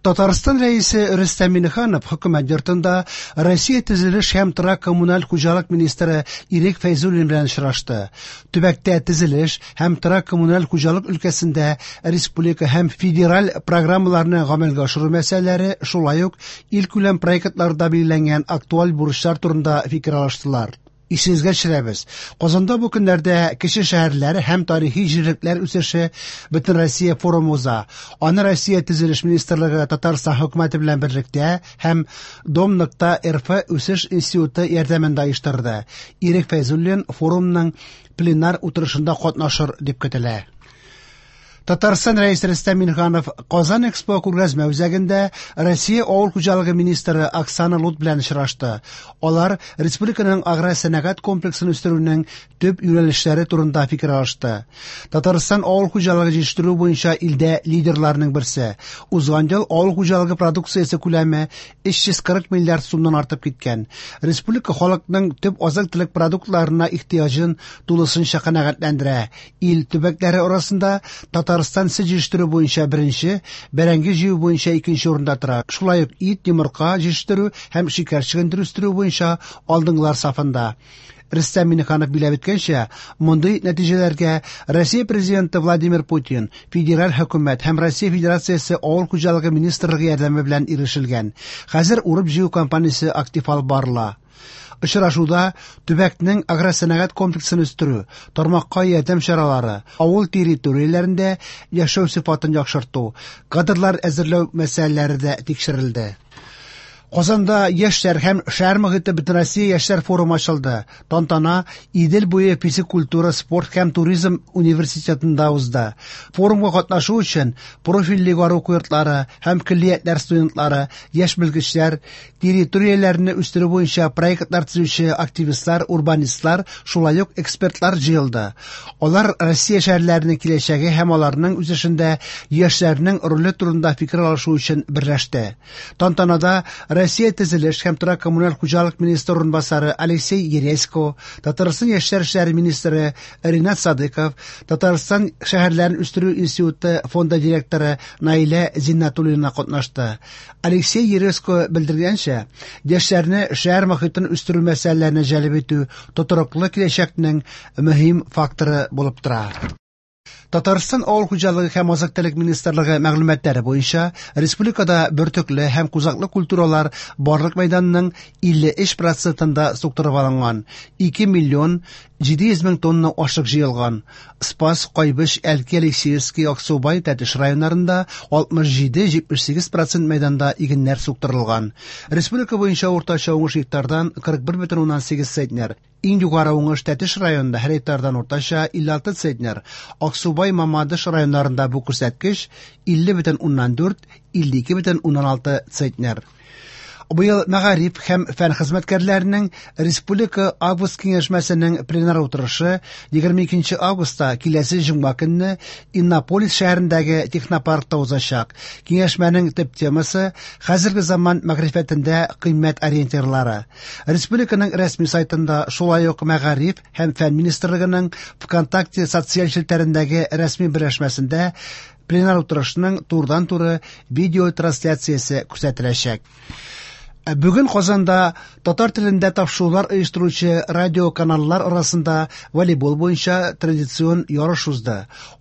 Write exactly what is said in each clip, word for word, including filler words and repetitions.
Татарстан Рәисе Рөстәм Миңнеханов Хөкүмәт йортында Россия төзелеш һәм торак коммуналь хуҗалык министры Ирек Фәйзуллин белән очрашты. Төбәктә төзелеш һәм торак коммуналь хуҗалык өлкәсендә республика һәм федераль программаларны гамәлгә ашыру мәсьәләләре, шулай ук илкүләм проектларда билгеләнгән актуаль бурычлар турында фикер алыштылар. Исегезгә төшерәбез, Казанда бу көннәрдә кече шәһәрләр һәм тарихи җирлекләр үсеше Бөтенроссия форумы уза. Аны Россия Төзелеш министрлыгы Татарстан хөкүмәте белән берлектә һәм Дом.РФ үсеш институты ярдәмендә оештырды. Ирек Фәйзуллин форумның пленар утырышында катнашыр дип көтелә. Татарстан Рәисе Рөстәм Миңнеханов Казан Экспо күргәзмә үзәгендә Россия авыл хуҗалыгы министры Оксана Лут белән очрашты. Алар республиканың аграр сәнәгать комплексын үстерүнең төп юнәлешләре турында фикер алышты. Татарстан авыл хуҗалыгы җитештерү буенча илдә лидерларның берсе. Узган ел авыл хуҗалыгы продукциясе күләме өч йөз кырык миллиард сумнан артып киткән. Республика халыкның төп азык-төлек продуктларына ихтыяҗын тулысынча канәгатьләндерә. Ил төбәкләре арасында Татарстан сөт җитештерү буенча беренче, бәрәңге җыю буенча икенче урында тора. Шулай ук ит, йомырка җитештерү һәм шикәр чөгендере үстерү буенча алдынгылар сафында. Рөстәм Миңнеханов билгеләп үткәнчә, мондый нәтиҗәләргә Россия Президенты Владимир Путин, федераль хөкүмәт һәм Россия Федерациясе Авыл хуҗалыгы министрлыгы ярдәме белән ирешелгән. Хәзер урып-җыю кампаниясе актив алып барыла. Очрашуда төбәкнең агросәнәгать комплексын үстерү, тармакка ярдәм чаралары, авыл территорияләрендә яшәү сыйфатын яхшырту, кадрлар әзерләү мәсьәләләре дә тикшерелде. Казанда яшьләр һәм шәһәр мохите Бөтенроссия яшьләр форумы ачылды. Тантана Идел буе физик культура, спорт һәм туризм университетында узды. Форумга катнашу өчен профильле югары уку йортлары һәм көллиятләр студентлары, яшь белгечләр, территорияләрне үстерү буенча проектлар төзүче активистлар, урбанистлар, шулай ук экспертлар җыелды. Алар Россия шәһәрләренең киләчәге һәм аларның үсешендә яшьләрнең роле турында фикер алышу өчен берләште. Тантанада Россия төзелеш һәм торак коммуналь хуҗалык министры урынбасары Алексей Ересько, Татарстан яшьләр эшләре министры Ринат Садыков, Татарстан шәһәрләрен үстерү институты фонды директоры Наилә Зиннатуллина катнашты. Алексей Ересько белдергәнчә, яшьләрне шәһәр мохитен үстерү мәсьәләләренә җәлеп итү тотрыклы киләчәкнең мөһим факторы булып тора. Татарстан Авыл хуҗалыгы һәм азык-төлек министрлыгы мәгълүматлары буенча республикада бөртекле һәм кузаклы культуралар барлык мәйданның илле өч процентында суктырып алынган. Ике миллион җиде йөз мең тонна ашык җыелган. Спас, Кайбыч, Әлки, Алексеевский, Аксубай, Тәтеш районнарында алтмыш җиде җитмеш сигез процент мәйданда игеннәр суктырылган. Республика буенча уртача уңыш гектардан кырык бер бөтен уннан сигез центнер. Иң югары уңыш Тәтеш районында һәр гектардан уртача илле алты центнер. Аксубай, Мамадыш районнарында бу күрсәткеч илле бөтен уннан дүрт, илле ике бөтен уннан алты центнер. Быел мәгариф һәм фән хезмәткәрләренең Республика Август киңәшмәсенең пленар утырышы егерме икенче августта киләсе җомга көнне Иннополис шәһәрендәге технопаркта узачак. Киңәшмәнең төп темасы хәзерге заман мәгърифәтендә кыйммәт ориентирлары. Республиканың рәсми сайтында шулай ук мәгариф һәм фән министрлыгының ВКонтакте социаль челтәрендәге рәсми берләшмәсендә пленар утырышның турыдан-туры видеотрансляциясе күрсәтеләчәк. Бүген Казанда татар телендә тапшырулар оештыручы радиоканаллар арасында волейбол буенча традицион ярыш узды.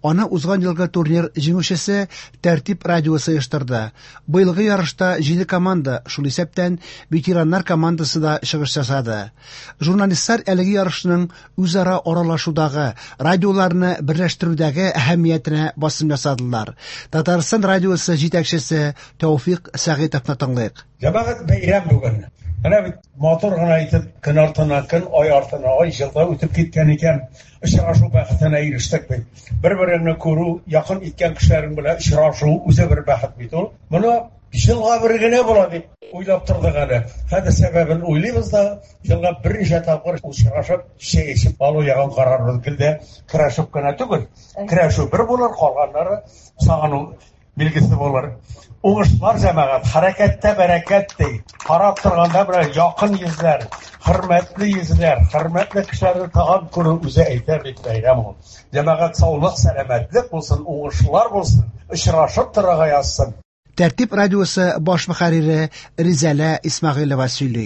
Аны узган елгы турнир җиңүчесе Тәртип радиосы оештырды. Быелгы ярышта җиде команда, шул исәптән ветераннар командасы да чыгыш ясады. Журналистлар әлеге ярышның үзара аралашудагы, радиоларны берләштерүдәге әһәмиятенә басым ясадылар. Татарстан радиосы җитәкчесе Тәүфик Сәгыйтовны тыңлыйк. Җәмәгать бәйрәм бүген. Менә бит матур гына итеп көн артына көн, ай артына ай җылда үтеп киткән икән. Очрашу бәхетенә ирештек бит. Бер-береңне күрү, якын иткән кешеләрең белән очрашу үзе бер бәхет бит ул. Моны җылга бер генә була дип уйлап тордык әле. Хәзер сәбәбен уйлыйбыз да, җылга берничә тапкыр очрашып, чәй эчеп алу ягын карарбыз. Гел дә көрәшеп кенә түгел. Көрәшү бер булыр, калганнары сагыну билгесе булыр. Уңышлар җәмәгать, хәрәкәттә бәрәкәт ди. Карап торганда бер якын йөзләр, хөрмәтле йөзләр, хөрмәтле кешеләрне тагын күрү үзе әйтә бит бәйрәм ул. Җәмәгать саулык, сәламәтлек булсын, уңышлар булсын, очрашып торырга язсын. Тәртип радиосы баш мөхәррире Ризәлә Исмәгыйлева сөйли.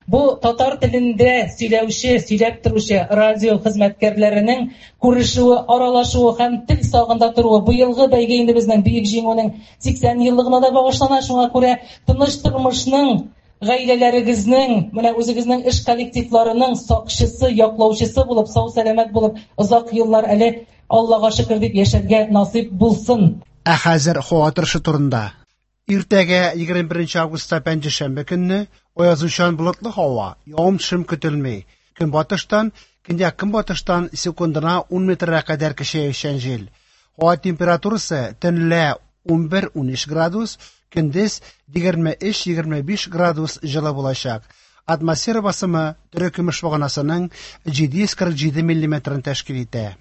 Бу татар телендә сөйләүче, сөйләп торучы радио хезмәткәрләренең күрешүе, аралашуы һәм тел сагында торуы. Быелгы бәйге инде безнең Бөек Җиңүнең сиксән еллыгына да багышлана. Шуңа күрә тыныч тормышның, гаиләләрегезнең, менә үзегезнең эш коллективларының сакчысы, яклаучысы булып, сау-сәламәт булып, озак еллар әле Аллага шөкер дип яшәргә насыйп булсын. Ә хәзер һава торышы турында. Иртәгә егерме беренче августта пәнҗешәмбе көнне аязучан болытлы һава, явым-төшем көтелми. Көнбатыштан, көньяк-көнбатыштан секундына ун метрга кадәр көчәючән җил. Һава температурасы төнлә унбер-унөч градус, көндез егерме өч-егерме биш градус җылы булачак. Атмосфера басымы терекөмеш баганасының җиде йөз кырык җиде миллиметрын тәшкил итә.